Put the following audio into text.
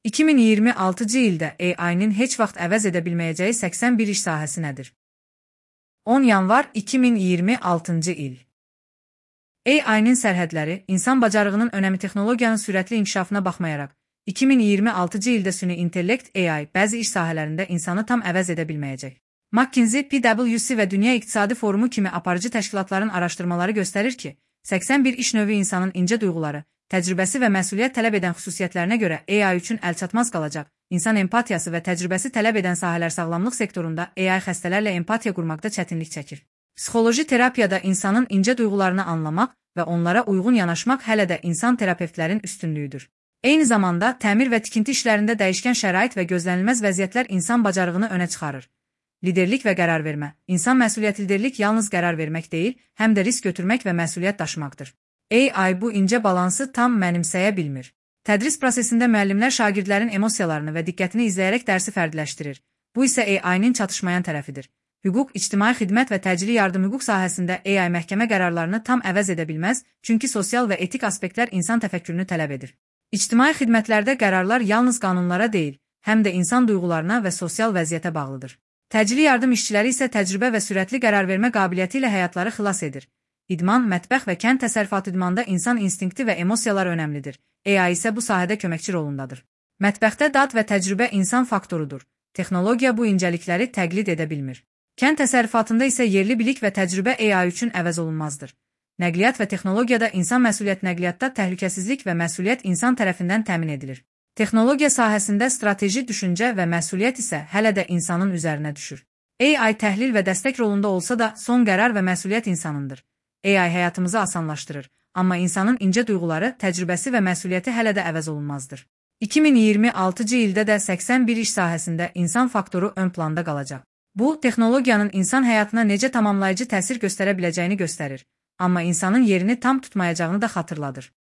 2026-cı ildə AI-nin heç vaxt əvəz edə bilməyəcəyi 81 iş sahəsi nədir? 10 yanvar 2026-cı il. AI-nin sərhədləri, insan bacarığının önəmi texnologiyanın sürətli inkişafına baxmayaraq, 2026-cı ildə süni intellekt AI bəzi iş sahələrində insanı tam əvəz edə bilməyəcək. McKinsey, PwC və Dünya İqtisadi Forumu kimi aparıcı təşkilatların araşdırmaları göstərir ki, 81 iş növü insanın incə duyğuları, təcrübəsi və məsuliyyət tələb edən xüsusiyyətlərinə görə AI üçün əlçatmaz qalacaq. İnsan empatiyası və təcrübəsi tələb edən sahələr sağlamlıq sektorunda AI xəstələrlə empatiya qurmaqda çətinlik çəkir. Psixoloji terapiyada insanın incə duyğularını anlamaq və onlara uyğun yanaşmaq hələ də insan terapeutlərin üstünlüyüdür. Eyni zamanda, təmir və tikinti işlərində dəyişkən şərait və gözlənilməz vəziyyətlər insan bacarığını önə çıxarır. Liderlik və qərar vermə. İnsan məsuliyyət liderlik yalnız qərar vermək deyil, həm də risk götürmək və məsuliyyət daşımaqdır. AI bu incə balansı tam mənimsəyə bilmir. Tədris prosesində müəllimlər şagirdlərin emosiyalarını və diqqətini izləyərək dərsi fərdləşdirir. Bu isə AI-nin çatışmayan tərəfidir. Hüquq, ictimai xidmət və təcili yardım hüquq sahəsində AI məhkəmə qərarlarını tam əvəz edə bilməz, çünki sosial və etik aspektlər insan təfəkkürünü tələb edir. İctimai xidmətlərdə qərarlar yalnız qanunlara deyil, həm də insan duyğularına və sosial vəziyyətə bağlıdır. Təcili yardım işçiləri isə təcrübə və sürətli qərar vermə qabiliyyəti ilə həyatları xilas edir. İdman, mətbəx və kənd təsərrüfatı idmanda insan instinkti və emosiyalar önəmlidir. AI isə bu sahədə köməkçi rolundadır. Mətbəxdə dad və təcrübə insan faktorudur. Texnologiya bu incəlikləri təqlid edə bilmir. Kənd təsərrüfatında isə yerli bilik və təcrübə AI üçün əvəz olunmazdır. Nəqliyyat və texnologiyada insan məsuliyyət nəqliyyatda təhlükəsizlik və məsuliyyət insan tərəfindən təmin edilir. Texnologiya sahəsində strateji düşüncə və məsuliyyət isə hələ də insanın üzərinə düşür. AI təhlil və dəstək rolunda olsa da son qərar və məsuliyyət insanındır. AI həyatımızı asanlaşdırır, amma insanın incə duyğuları, təcrübəsi və məsuliyyəti hələ də əvəz olunmazdır. 2026-cı ildə də 81 iş sahəsində insan faktoru ön planda qalacaq. Bu, texnologiyanın insan həyatına necə tamamlayıcı təsir göstərə biləcəyini göstərir, amma insanın yerini tam tutmayacağını da xatırladır.